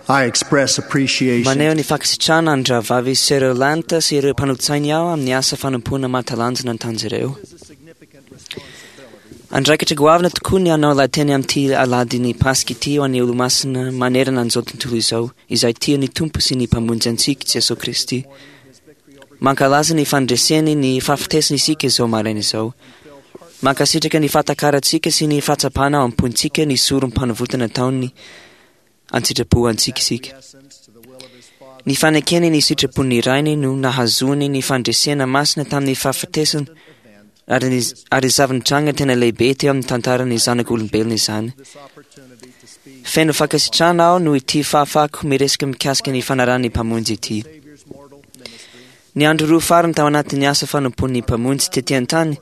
I express appreciation Maneho ny fankasitrahana ny rahavavy Sutherland sy ireo mpanolotsainy aho amin'ny asa fanompoana mahatalanjona nataon'izy ireo. Andraikitra goavana tokoa ny hanao lahateny amin'ity alahadin'ny Paska ity ho an'ny Olomasina manerana an'izao tontolo izao, izay tia ny Tompo sy ny Mpamonjy antsika, Jesoa Kristy. Mankalaza ny fandreseny ny fahafatesana isika izao maraina izao. Mankasitraka ny fahatakarantsika sy ny fahatsapana ao am-pontsika ny sorom-panavotana nataony an-tsitrapo antsika isika. Ny fanekeny ny sitrapon'ny Rainy no nahazoany ny fandresena masina tamin'ny fahafatesana ary ny ary zava-nitranga tena lehibe teo amin'ny tantaran'ny zanak'olombelona izany. Feno fankasitrahana aho noho ity fahafahako miresaka mikasika ny fanarahan'ny Mpamonjy ity. Ny andro roa farany tao anatin'ny asa fanompoan'ny Mpamonjy tety an-tany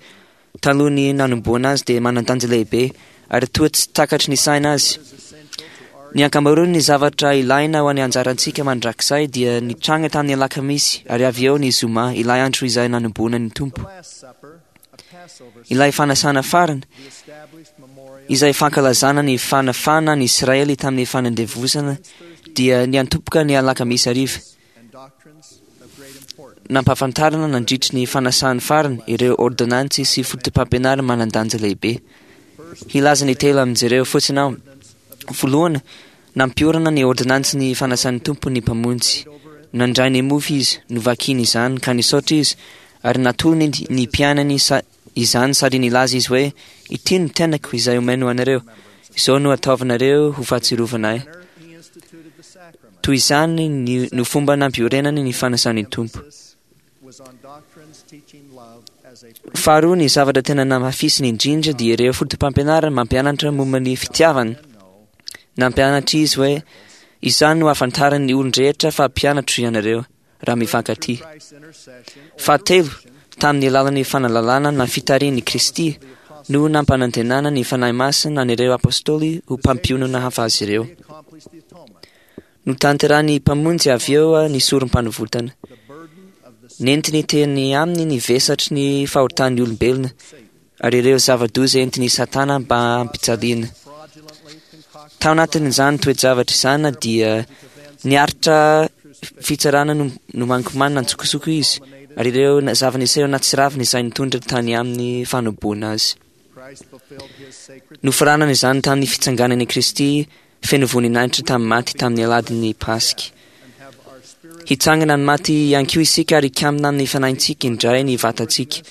talohan'ny nanomboana azy dia manan-danja lehibe ary toa tsy takatry ny saina azy. Ny ankamaroan'ny zavatra ilaina ho an'ny anjarantsika mandrakizay dia nitranga tamin'ny alakamisy ary avy eo ny zoma, ilay andro izay nanomboana ny Tompo. Ilay fanasana farany, izay fankalazana ny fanafana ny Israely tamin'ny fanandevozana, dia niantomboka ny alakamisy hariva. Nampahafantarina nandritry ny fanasany farany ireo ôrdônansy sy fotopampianarana manan-danja lehibe. Hilaza ny telo amin'izy ireo fotsiny aho. Voalohany, nampiorina ny ôrdônansin'ny ny fanasan'ny Tompo ny Mpamonjy. Nandray ny mofo Izy, novakiny izany, ka nisaotra Izy, ary natolony ny mpianany izany sady nilaza Izy hoe, Ity no tenako izay omeno anareo. Izao no ataovinareo ho fahatsiarovana Ahy. Toy izany ny, no fomba nampiorenany ny fanasan'ny Tompo. Faharoa, ny zavatra tena namafisiny indrindra dia ireo fotopampianarana mampianatra momba ny fitiavana. Nampianatra izy hoe, Izany no ahafantaran'ny olon-drehetra fa mpianatro ianareo, raha mifankatia. Fahatelo, tamin'ny alalan'ny fanalalana na fitarihan'i Kristy no nampanantenana ny Fanahy Masina an'ireo Apôstôly ho mpampionona hafa azy ireo. Notanterahin'ny Mpamonjy avy eo ny sorom-panovotana. Nentiny teny aminy ny vesatry ny fahotan'ny olombelona ary ireo zava-doza entin'i Satana mba hampijaliana. Tao anatin'izany toe-javatra izany dia niaritra fitsarana nomankomanina an-tsokosoko izy ary ireo zava-niseho nahatsiravina izay nitondra tany amin'ny fanoboana azy. Nofaranana izany tamin'ny fitsanganan'i Kristy feno voninahitra tamin'ny maty tamin'ny alahadin'ny Paska. Hitsangana amin'ny maty ihany koa isika ary hikamina amin'ny fanahintsika indray ny vatantsika.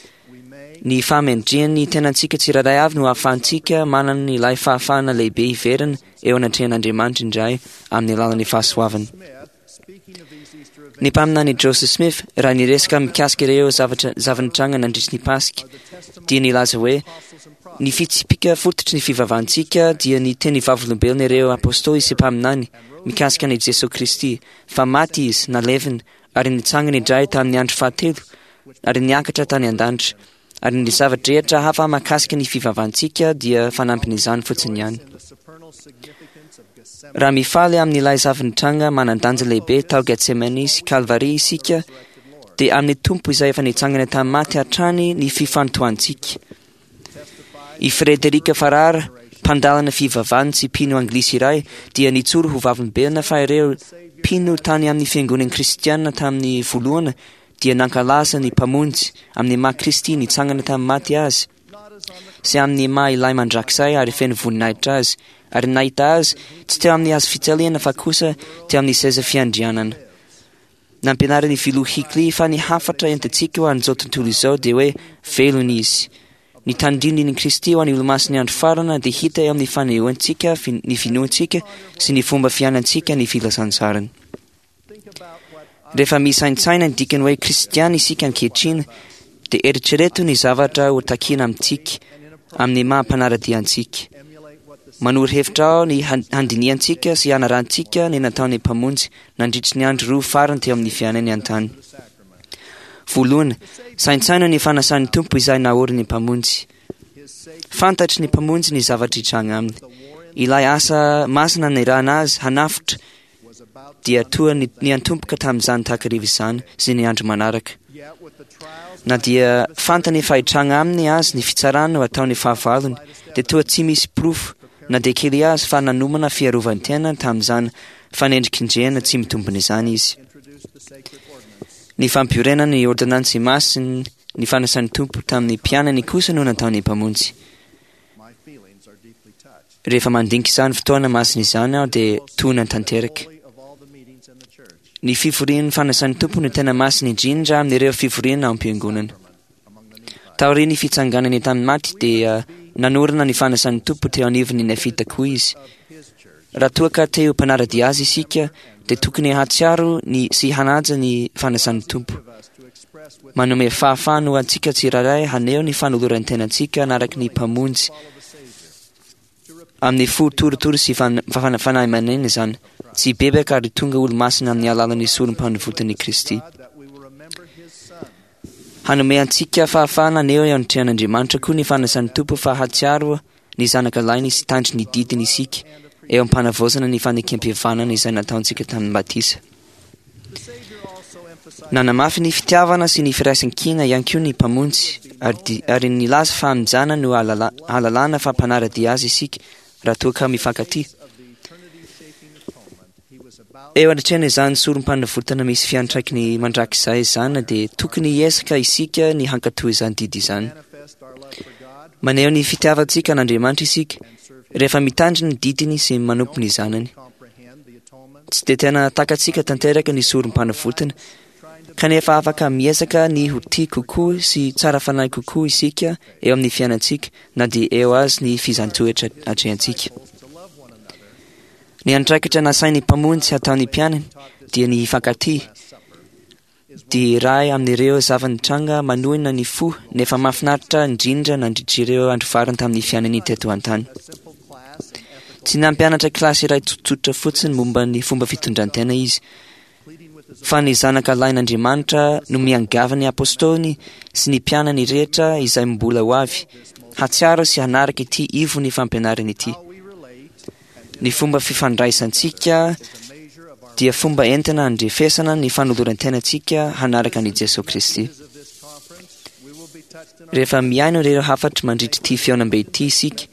Ny fahamendrehan'ny tenantsika tsirairay avy no ahafahantsika manana ilay fahafahana lehibe hiverina eo anatrehan'Andriamanitra indray amin'ny alalan'ny fahasoavany. Ny mpaminany Joseph Smith, raha niresaka mikasika ireo zavatra zava-nitranga nandritry ny Paska, dia nilaza hoe, Ny fitsipika fototry ny fivavahantsika dia ny teny vavolombelona ireo apôstôly sy mpaminany mikasika an'i Jesoa Kristy, fa maty Izy, nalevina, ary nitsangana indray tamin'ny andro fahatelo, ary niakatra tany an-danitra. Ary ny zava-drehetra hafa mahakasika ny fivavahantsika dia fanampin'izany fotsiny ihany. Raha mifaly amin'ilay zava-nitranga manan-danja lehibe tao Getsemane sy Kalvary isika, dia amin'ny Tompo izay efa nitsangana tamin'ny maty hatrany ny fifantohantsika. I Frederick Farrar, mpandalana fivavahana sy mpino anglisy iray, dia nijoro ho vavolombelona fa ireo mpino tany amin'ny fiangonan'ny kristiana tamin'ny voalohany dia nankalaza ny Mpamonjy amin'ny maha Kristy nitsangana tamin'ny maty Azy sy amin'ny maha Ilay Mandrakizay ary feno voninahitra Azy, ary nahita Azy tsy teo amin'ny hazo fijaliana fa kosa teo amin'ny seza fiandrianana. Nampianarin'ny Filoha Hinckley fa ny hafatra entintsika ho an'izao tontolo izao dia hoe velona Izy. Ny tandindon'i Kristy ho an'ny Olomasin'ny Andro Farana dia hita eo amin'ny fanehoantsika ny finoantsika sy ny fomba fiainantsika ny filazantsarany. Rehefa misaintsaina ny dikany hoe kristiana isika ankehitriny, dia eritrereto ny zavatra ho takiana amintsika amin'ny maha mpanara-dia antsika. Manoro hevitra aho ny handinihantsika sy hanarahantsika ny nataon'ny Mpamonjy nandritry ny andro roa farany teo amin'ny fiainany an-tany. Voalohany, saintsaino ny fanasan'ny Tompo izay naorin'ny Mpamonjy. Fantatry ny Mpamonjy ny zavatra hitranga aminy. Ilay asa masina nirahana azy hanafotra dia toa niantomboka tamin'izany takariva izany sy ny andro manaraka. Na dia fantany fa hitranga aminy azy ny fitsarana ho ataon'ny fahavalony, dia toa tsy misy porofo na dia kely azy fa nanomana fiarovan-tena tamin'izany fanendrikendrehana tsy mitombina izany izy. Ny fampiorenana ny ôrdônansy masina ny fanasan'ny Tompo tamin'ny mpianany kosa no nataon'ny Mpamonjy. Rehefa mandinika izany fotoana masina izany aho dia tohina tanteraka. Ny fivorian'ny fanasan'ny Tompo no tena masina indrindra amin'ireo fivoriana ao am-piangonana. Taorian'ny fitsanganany tamin'ny maty dia nanorina ny fanasan'ny Tompo teo anivon'ny Nefita koa izy. Raha toa ka te ho mpanara-dia azy isika dia tokony hahatsiaro ny sy hanaja ny fanasan'ny Tompo. Manome fahafahana ho antsika tsirairay haneho ny fanoloran-tenantsika hanaraka ny Mpamonjy amin'ny fo torotoro sy fanahy manina izany, tsy hibebaka ary tonga olo-masina amin'ny alalan'ny sorom-panavotan'i Kristy. Hanome antsika fahafahana haneho eo anatrehan'Andriamanitra koa ny fanasan'ny Tompo fa hahatsiaro ny zanaka lahiny sy hitandro ny didiny isika eo am-panavaozana ny fanekempihavanana izay nataontsika tamin'ny batisa. Nanamafy ny fitiavana sy ny firaisankina ihany koa ny Mpamonjy ary, ary nilaza fa amin'izany no ahalalana fa mpanara-dia azy isika raha toa ka mifankatia. Eo anatrehan' izany sorom-panavotana misy fiantraikany mandrakizay izany dia tokony hiezaka isika ny hankatò izany didy izany. Maneho ny fitiavantsika an'Andriamanitra isika rehefa mitandrina ny didiny sy manompo ny zanany. Tsy dia tena takatsika tanteraka ny sorom-panavotana, kanefa afaka miezaka ny ho tia kokoa sy tsara fanahy kokoa isika eo amin'ny fiainantsika na dia eo azy ny fizan-toetra atrehantsika. Ny andraikitra nasain'ny Mpamonjy hataon'ny mpianany dia ny hifankatia, dia iray amin'ireo zava-nitranga manohina ny fo nefa mahafinaritra indrindra nandritra ireo andro farany tamin'ny fiainany teto an-tany. Tsy nampianatra kilasy iray tsotsotra fotsiny momba ny fomba fitondran-tena izy, fa ny Zanaka Lahin'Andriamanitra no miangavy ny apôstôliny sy ny mpianany rehetra izay mbola ho avy, hahatsiaro sy hanaraka ity ivon'ny fampianarana ity. Ny fomba fifandraisantsika dia fomba entina handrefesana ny fanoloran-tenantsika hanaraka an'i Jesoa Kristy. Rehefa mihaino ireo hafatra mandritra ity fihaonambe ity isika,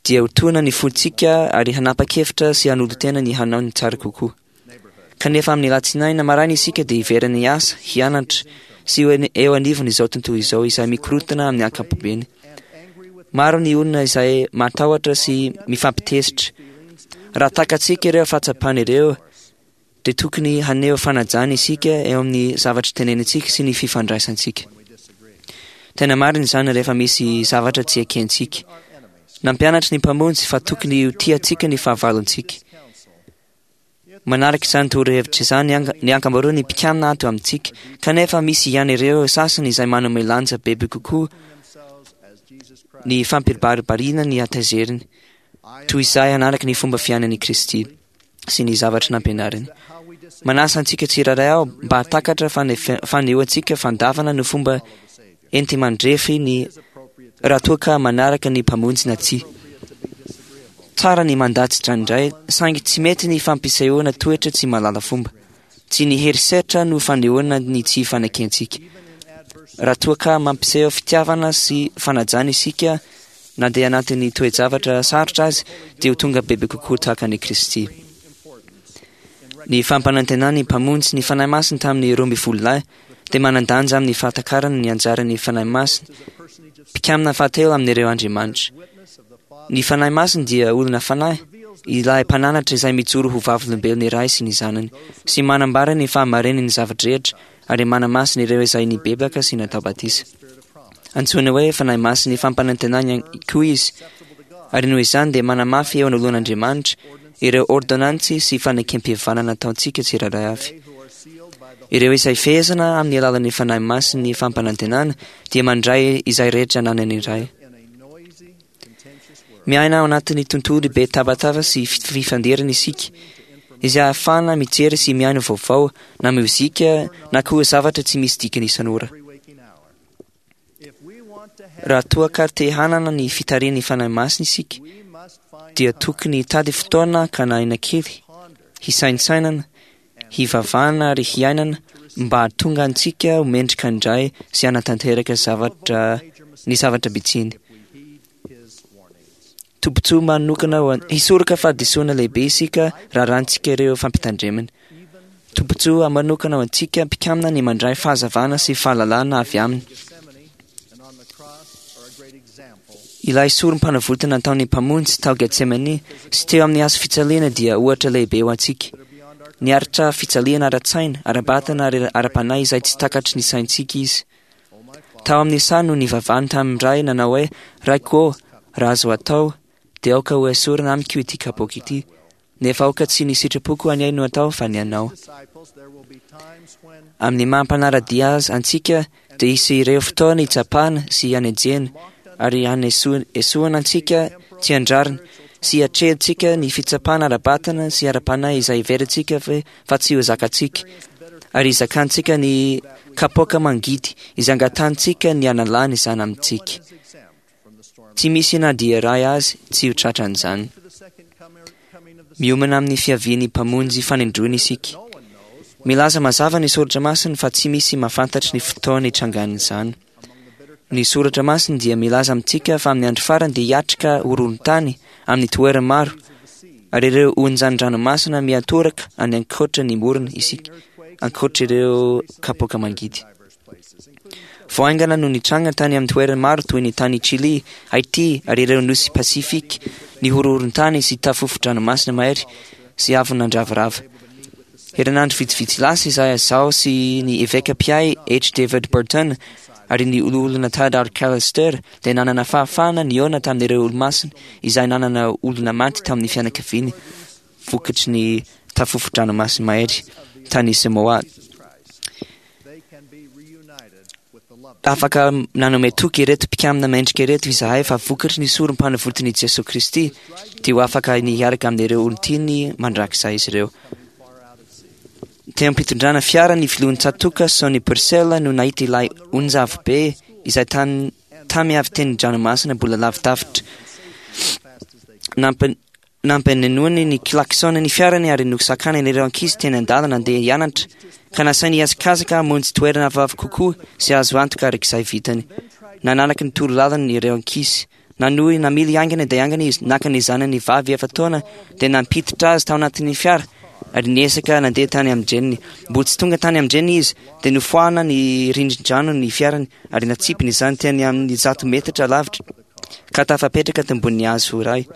dia ho tohina ny fontsika ary hanapa-kevitra sy hanolo-tena ny hanao ny tsara kokoa. Kanefa amin'ny alatsinainy maraina isika dia hiverina hiasa, hianatra, sy ho eo anivon'izao tontolo izao izay mikorontana amin'ny ankapobeny. Maro ny olona izay matahotra sy mifampitezitra. Raha takatsika ireo fahatsapana ireo, dia tokony haneho fanajana isika eo amin'ny zavatra tenenintsika sy ny fifandraisantsika. Tena marina izany rehefa misy zavatra tsy ekentsika. Nampianatra ny Mpamonjy fa tokony ho tiantsika ny fahavalontsika. Manaraka izany torohevitra izany ny ankamaroan'ny mpikambana ato amintsika, kanefa misy ihany ireo sasany izay manome lanja bebe kokoa ny fampibaribariana ny hatezeriny, toy izay hanaraka ny fomba fiainan'i Kristy sy ny zavatra nampianariny. Manasa antsika tsirairay aho mba hahatakatra fa ny fanehoantsika fandavana no fomba enti-mandrefy ny raha toa ka manaraka ny Mpamonjy na tsia. Tsara ny mandà tsindraindray, saingy tsy mety ny fampisehoana toetra tsy mahalala fomba. Tsy ny herisetra no fanehoana ny tsy fanekentsika. Raha toa ka mampiseho fitiavana sy fanajana isika na dia anatin'ny toe-javatra sarotra aza, dia ho tonga bebe kokoa tahaka an'i Kristy. Ny fampanantenan'ny Mpamonjy ny Fanahy Masina tamin'ny 12 lahy dia manan-danja amin'ny fahatakarana ny anjaran'ny Fanahy Masina, mpikambana fahatelo amin'ireo Andriamanitra. Ny Fanahy Masina dia olona fanahy, ilay mpananatra izay mijoro ho vavolombelon'ny Ray sy ny Zanany, sy manambara ny fahamarinan'ny zava-drehetra ary manamasina ireo izay nibebaka sy natao batisa. Antsoina hoe Fanahy Masin'ny fampanantenana ihany koa izy, ary noho izany dia manamafy eo anoloan'Andriamanitra ireo ôrdônansy sy fanekempihavanana nataontsika tsirairay avy. Ireo izay fehezina amin'ny alalan'ny Fanahy Masin'ny fampanantenana dia mandray izay rehetra ananany Ray. Miaina ao anatin'ny tontolo be tabataba sy fifandirana isika, izay ahafahana mijery sy mihaino vaovao na mozika na koa zavatra tsy misy dikany isan'ora. Raha toa ka te hanana ny fitarihan'ny Fanahy Masina isika, dia tokony hitady fotoana hakana aina kely, hisaintsainana, hivavahana ary hiainana mba hahatonga antsika ho mendrika indray sy hanatanteraka zavatra ny zavatra bitsiny. Tombontsoa manokana ho hisoroka fahadisoana lehibe isika raha arahantsika ireo fampitandremana. Tombontsoa manokana ho antsika mpikambana ny mandray fahazavana sy fahalalana avy aminy. Ilay sorom-panavotana nataon'ny Mpamonjy tao Getsemane sy teo amin'ny hazo fijaliana dia ohatra lehibe ho antsika. Niaritra fijaliana ara-tsaina, ara-batana ary ara-panahy izay tsy takatry ny saintsika izy. Tao amin'ny saha no nivavahany tamin'ny Ray nanao hoe, Raiko ô, raha azo atao, dia aoka ho esorina amiko ity kapoaka ity. Nefa aoka tsy ny sitrapoko anie no atao fa ny anao. Amin'ny maha mpanara-dia azy antsika dia hisy ireo fotoana hitsapana sy hanenjehana ary hanesoana antsika tsy an-drariny sy hatrehintsika ny fitsapana ara-batana sy ara-panahy izay heverintsika fa tsy ho zakantsika ary hizakantsika ny kapoaka mangidy izay angatahantsika ny hanalana izany amintsika. Tsy misy na dia iray azy tsy ho tratran'izany. Miomana amin'ny fiavian'ny Mpamonjy fanindroany isika. Milaza mazava ny Soratra Masina fa tsy misy mahafantatry ny fotoana hitrangan'izany. Ny Soratra Masina dia milaza amintsika fa amin'ny andro farany dia hiatrika horohorontany amin'ny toerana maro ary ireo onjan-dranomasina miantoraka any ankoatra ny morona isika, ankoatra ireo kapoaka mangidy. Vao haingana no nitranga tany amin'ny toerana maro toy ny tany Chili, Haiti ary ireo nosy Pasifika ny horohorontany sy tafofo-dranomasina mahery sy avo nandravarava. Herinandro vitsivitsy lasa izay izaho sy ny eveka mpiahy H. David Burton ary ny olona Tad Arcalister dia nanana fahafahana nihaona tamin'ireo olomasina izay nanana olona maty tamin'ny fianakaviany vokatry ny tafofo-dranomasina mahery tany Samoa. Afaka nanome toky ireto mpikambana mendrika ireto izahay fa vokatry ny sorom-panavotan'i Jesoa Kristy dia ho afaka ny hiaraka amin'ireo olon-tiany mandrakizay izy ireo. Teo am-pitondrana fiara ny filohan'ny tsatòka Sonny Purcell no nahita ilay onja avo be izay tany tamy avy teny dranomasina mbola lavidavitra. Nampanenoany ny klaxon ny fiarany ary nosakanany ireo ankizy teny an-dalana andeha hianatra ka nasainy hihazakazaka hamonjy toerana avoavo kokoa sy azo antoka araka izay vitany. Nanaraka ny torolalany ireo ankizy. Nanohy namily haingana dia haingana izy, naka ny zanany vavy efa-taona dia nampiditra azy tao anatin'ny fiara ary niezaka nandeha tany amin-dreniny. Mbola tsy tonga tany amin-dreniny izy dia nofoahana ny rindrin-drano ny fiarany ary natsipiny izany teny amin'ny 100 metatra lavitra ka tafapetraka tambony hazo iray.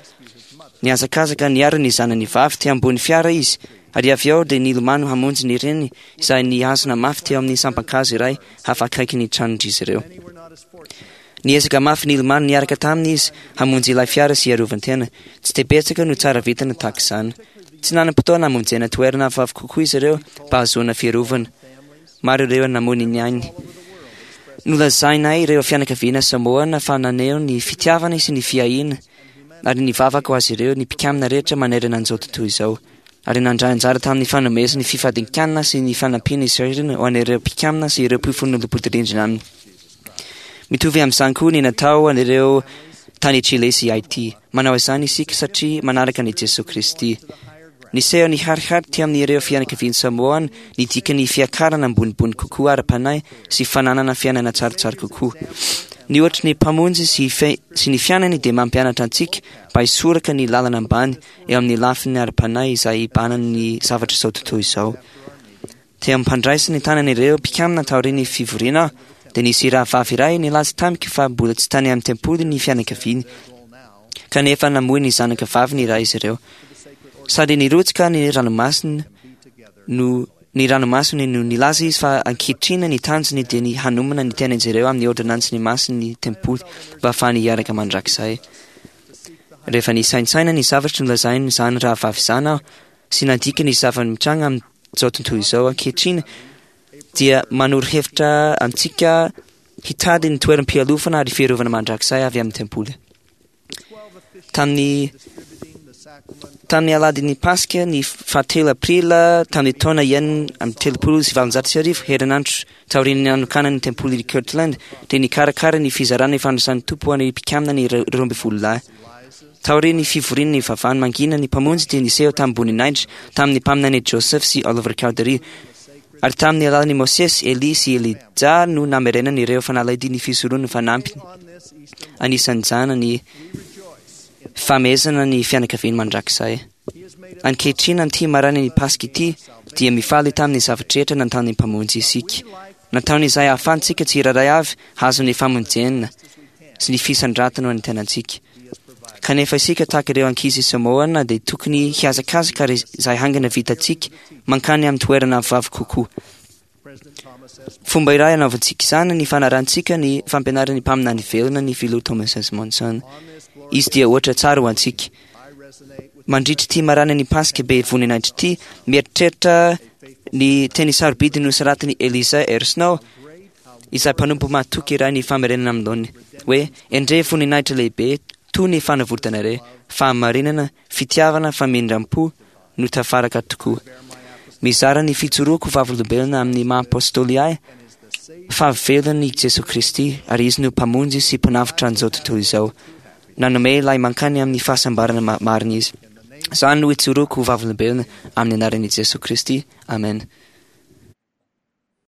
Nihazakazaka niaro ny zanany vavy teo ambony fiara izy ary avy eo dia nilomano hamonjy ny reniny izay nihazona mafy teo amin'ny sampan-kazo iray hafa akaiky ny tranon'izy ireo. Niezaka mafy nilomano niaraka taminy izy hamonjy ilay fiara sy hiarovan-tena. Tsy dia betsaka no tsara vintana tahaka izany. Tsy nanam-potoana hamonjena toerana avoavo kokoa izy ireo mba hahazoana fiarovana. Maro ireo namoy ny ainy. Nolazainay ireo fianakaviana Samoana fa naneho ny fitiavana sy ny fiahiana ary nivavaka ho azy ireo ny mpikambana rehetra manerana an'izao tontolo izao. Ary nandray anjara tamin'ny fanomezana ny fifadian-kanina sy ny fanampiana izay ho an'ireo mpikambana sy ireo mpifanolo-bodirindrina aminy. Mitovy amin'izany koa ny natao an'ireo tany Chile sy Haiti. Manao izany isika satria manaraka an'i Jesoa Kristy. Niseho niharihary teo amin'ireo fianakavian'i Samoana ny dikan'ny fiakarana ambonimbony kokoa ara-panahy sy fananana fiainana tsaratsara kokoa. Ny ohatry ny Mpamonjy sy sy ny fiainany dia mampianatra antsika mba hisoraka ny lalana ambany eo amin'ny lafiny ara-panahy izay ibanan'ny zavatra izao tontolo izao. Teo am-pandraisany tanan'ireo mpikambana taorian'ny fivoriana aho, dia nisy rahavavy iray nilaza tamiko fa mbola tsy tany amin'ny tempoly ny fianakaviany, kanefa namoy ny zanaka vaviny iray izy ireo. Sady nirotsaka ny ranomasina no ny ranomasiny no nilaza izy fa ankehitriny ny tanjony dia ny hanomana ny tenan'izy ireo amin'ny ôrdônansin'ny masin'ny tempoly mba hahafahany hiaraka mandrakizay. Rehefa nisaintsaina ny zavatra nolazainy izany rahavavy izany aho sy nandika ny zava-mitranga amin'izao tontolo izao ankehitriny dia manoro hevitra antsika hitady ny toeram-pialofana ary fiarovana mandrakizay avy amin'ny tempoly. Tamin'ny tamin'ny alahadin'ny Paska ny fahatelo aprily tamin'ny taona 1836, herinandro taorian'ny nanokanana ny tempoly Kirtland, dia nikarakara ny fizarana ny fanasan'ny Tompo ho an'ny mpikambana ny 12 lahy. Taorian'ny fivorian'ny vavany mangina ny Mpamonjy dia niseho tamim-boninahitra tamin'ny mpaminany Joseph sy Oliver Cowdery, ary tamin'ny alalan'i Mosesy, Elia sy Elijah no namerenany ireo fanalahidy ny fisoronana fanampiny. Anisan'izany ny. Famehezana ny fianakaviany mandrakizay. Ankehitriny amin'ity marainan'ny Paska ity dia mifaly tamin'ny zavatra rehetra nataon'ny Mpamonjy isika. Nataony izay ahafahantsika tsirairay avy hahazo ny famonjena sy ny fisandratana ho an'ny tenantsika. Kanefa isika tahaka ireo ankizy Samoana dia tokony hihazakazaka ary izay haingana vitantsika mankany amin'ny toerana avoavo kokoa. Fomba iray anaovantsika izany ny fanarantsika ny fampianaran'ny mpaminany velona ny filoha Thomas S. Monson. Izy dia ohatra tsara ho antsika. Mandritra ity marainan'ny Paska be voninahitra ity, mieritreritra ny teny sarobidy nosoratan'i Eliza R. Snow, izay mpanompo mahatoky iray ny famerenana amin'ny laoniny, hoe endrey voninahitra lehibe toy ny fanavotana re, fahamarinana, fitiavana, famindram-po no tafaraka tokoa. Mizara ny fijoroako vavolombelona amin'ny maha apôstôly ahy fa velona i Jesoa Kristy ary Izy no Mpamonjy sy Mpanavotra an'izao tontolo izao. Nanome ilay mankany amin'ny fahasambarana marina Izy. Izany no ijoroako ho vavolombelona amin'ny anaran'i Jesoa Kristy. Amen.